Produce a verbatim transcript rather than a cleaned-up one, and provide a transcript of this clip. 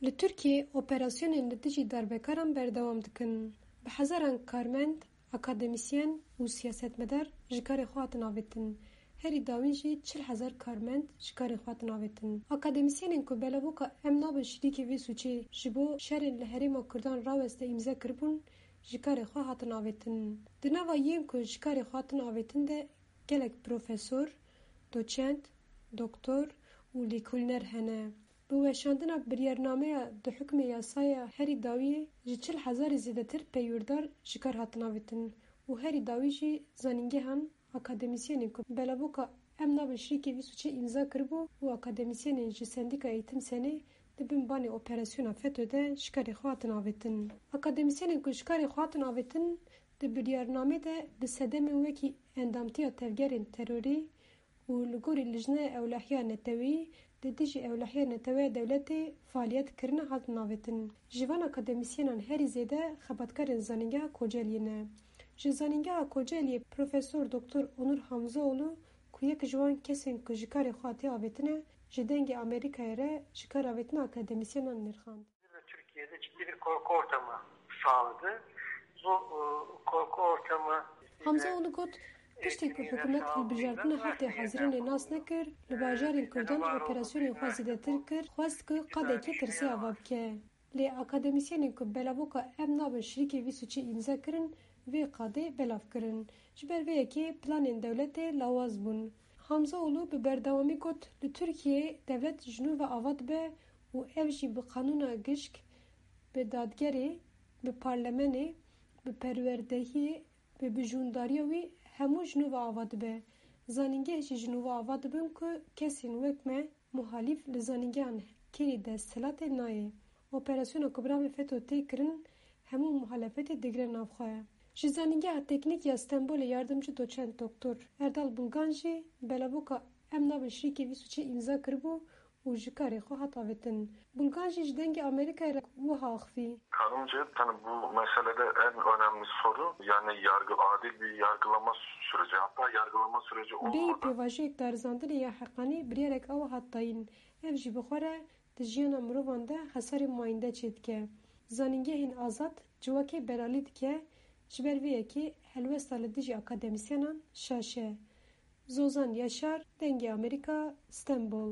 Li Tirkiyê operasyonên li dijî darbekaran berdewam dikin. Bi hezaran karmend, akademîsyen û siyasetmedar ji karê xwe hatin avêtin. Herî dawîn jî çil hezar karmend ji karê xwe hatin avêtin. Akademîsyenên ku belavoka Em nabin şirîkê vê sûcê ji bo şerên li herêma Kurdan raweste îmze kiribûn, ji karê xwe hatin avêtin. Di nava yên ku ji karê xwe hatin avêtin de gelek profesor, doçent, doktor û lêkolîner hene. Bi weşandina biryarnameya di hukmê yasaya herî dawiyê ji çil hezarê zêdetir peywîrdar ji kar hatin avêtin û herî dawî jî zanîngehan, akademîsyenên ku belavoka Em nabin şirîkê vî sûcê îmza kiribû û akademîsyenên ji Sendîka Eğitim Senê di bin banê operasyona feto de ji karê xwe hatin avêtin. Akademîsyenên ku ji karê xwe hatin avêtin di biryarnamê de bi sedemên wekî endamtiya tevgerên terorî û li gorî Lijneya Ewlehiya Neteweyî li dijî ewlehiya neteweya dewletê faaliyet kirine hatin avêtin. Ji van akademîsyenan herî zêde xebatkarên Zanîngeha Koceliyê ne. Ji Zanîngeha Koceliyê Profesor Doktor Onur Hamzoğlu ku yek ji wan kesên ku ji karê xwe hatiye avêtine, ji Dengê Amerîkayê re ji kar avêtina akademîsyenan nirxand. Ve Türkiye'de ciddi bir korku ortamı sağladı. Bu e, korku ortamı Hamzoğlu got, piştî ku hikûmet hilbijartina heftê Hezîranê nas nekir, li bajarên Kurdan operasyonên xwe zêdetir kir, xwest ku qadekî tirsê ava bike. Lê akademîsyenên ku belavoka Em nabin şirîkê vî sûcê îmze kirin, vê qadê belav kirin. Ji ber vê yekê planên dewletê lawaz bûn. Hamzoğlu bi berdewamî got, li Tirkiyeyê dewlet ji nû ve ava dibe û ev jî bi qanûna gişk, bi dadgerê, bi parlemenê, bi perwerdehiyê, bi bijûndariya wî hemû ji nû ve ava dibe. Zanîngeh jî ji nû ve ava dibin ku kesên wek me muhalîf li zanîngehan kêrî desthilatê nayê. Operasyona ku bi navê feto tê kirin, hemû muhalefetê digire nav xwe. Ji Zanîngeha Teknîk ya Stenbolê yardimcî doçent doktor Erdal Bulgan jî belavoka Em nabin şirîkê vî sûcê îmza kiribû û ji karê xwe hat avêtin. Bulgan jî ji Dengê Amerîkayê re wiha axivî. Kanımca, yani bu meselede en önemli soru, yani yargı, adil bir yargılama süreci, hatta yargılama süreci olmadan. Bêyî pêvajoyek darizandinê ya heqanî biryarek awa hat dayîn. Ev jî bi xwe re di jiyana mirovan de xesarê mayînde çêdike. Zanîngehên azad civakê belalî dike, ji ber vê yekê helwesta li dijî akademîsyenan şaş e. Zozan Yaşar, Dengê Amerîka, Stenbol.